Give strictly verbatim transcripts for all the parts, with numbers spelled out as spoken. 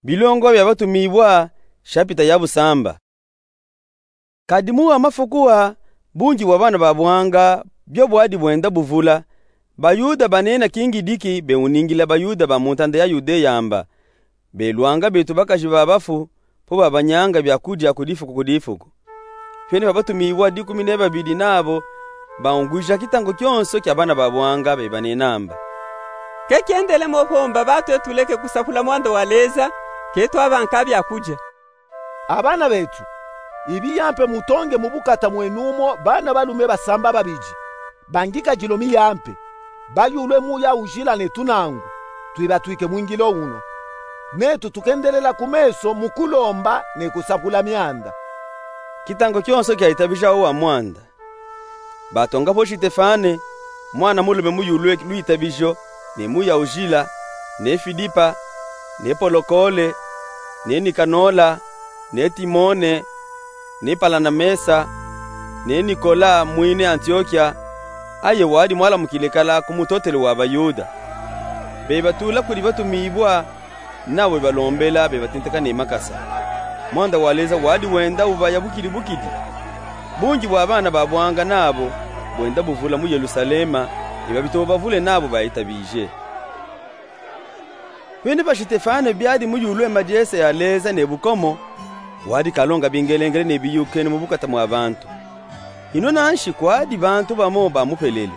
Bilongo bia Batumibua, shapita ya bu samba. Kadi mu wa mafuku a, bungi bwa bana ba buanga bio bwadi bwenda buvula. Bayuda banena kingidiki beuningila Bayuda ba mu ntanda ya Yudeya mba: Beluanga betu bakaji ba bafu, po babanyanga bia kudia ku difuku ku difuku. Pene pa Batumibua dikumi ne babidi nabo baungwija kitangu kionso kia bana ba buanga, bebanena mba: Ke kiendele mo homba batu etu leke kusapula mwanda wa Leza, ke twabanka bia kudia. A bana betu, ibiya mpe mutonge mu bukata mwenu mo bana balume basamba babidi, bangika dilomi ya mpe, bayulwe mu ya ujila ne tunangu, twibatwike mwingilo uno. Netu tukendelela ku meso mu kulomba ne kusapula mianda. Kitangu kionso kiaitabija wo wa mwanda. Batonga po Sitefane, mwana mulume muyulwe lwitabijo, ne muya ujila, ne Fidipa, ne Polokole, ne Nikanola, ne Timone, ne Palanamesa, ne Nikola mwine Antiokia, aye wadi mwala mu kilekala ku mutotele wa Bayuda. Bebatula kudi Batumibua, nabo bebalombela, bebatenteka ne makasa. Mwanda wa Leza wadi wenda ubaya bukidi bukidi. Bungi bwa bana ba buanga nabo bwenda buvula mu Yelusalema, ne babitomo bavule nabo baitabije. Pene pa Sitefane biadi muyulwe madiese ya Leza ne bukomo, wadi kalonga bingelengele ne biyukene mu bukata mwa bantu. Ino nanshi kwadi bantu bamo bamupelele.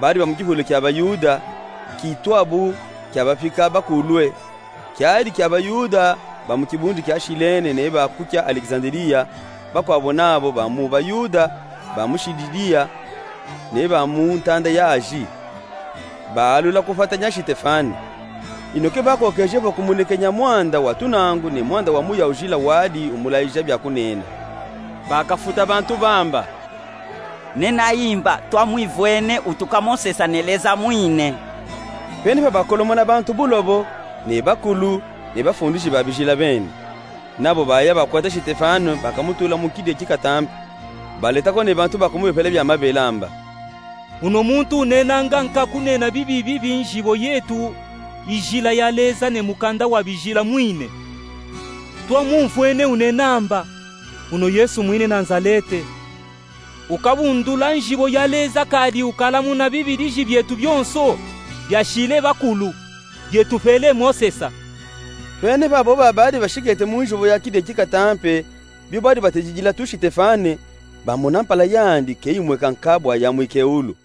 Badi ba mu kihulu kia Bayuda, kitwabu kia bapika bakulwe, kiadi kia Bayuda ba mu kibundu kia Shilene ne ba ku kia Alekizandeliya, bakwabo nabo ba mu Bayuda ba mu Shilidiya ne ba mu ntanda ya Aji. Baalula kupatanya Sitefane. Ino ke bakokeje vo kumunekenya mwanda wa tunangu ne mwanda wa muya ujila wadi umulayija bia kunena, bakafuta bantu bamba: Nenayi mba, twamwivwene utuka Mosesa ne Leza mwine. Pene pa bakolomona bantu bulobo, ne bakulu, ne bafundisi ba bijila bene. Nabo baya bakwata Sitefane, bakamutula mu kide kikatampe. Baleta ko ne bantu bakumubepela bia mabela mba: Uno muntu unenanga nka kunena bibi bibi njibo yetu, ijila ya Leza ne mukanda wa bijila mwine. Twamumvwene unena mba: Uno Yesu mwine Nazalete, ukabundula njibo ya Leza kadi ukalamuna bibi diji bietu bionso, biashile bakulu, bietupele Mosesa. Pene babo babadi bashikete mu njibo ya kide kikatampe, bio badi batejijila tu Sitefane, bamona mpala yandi ke imweka nka bwa yamwike ulu.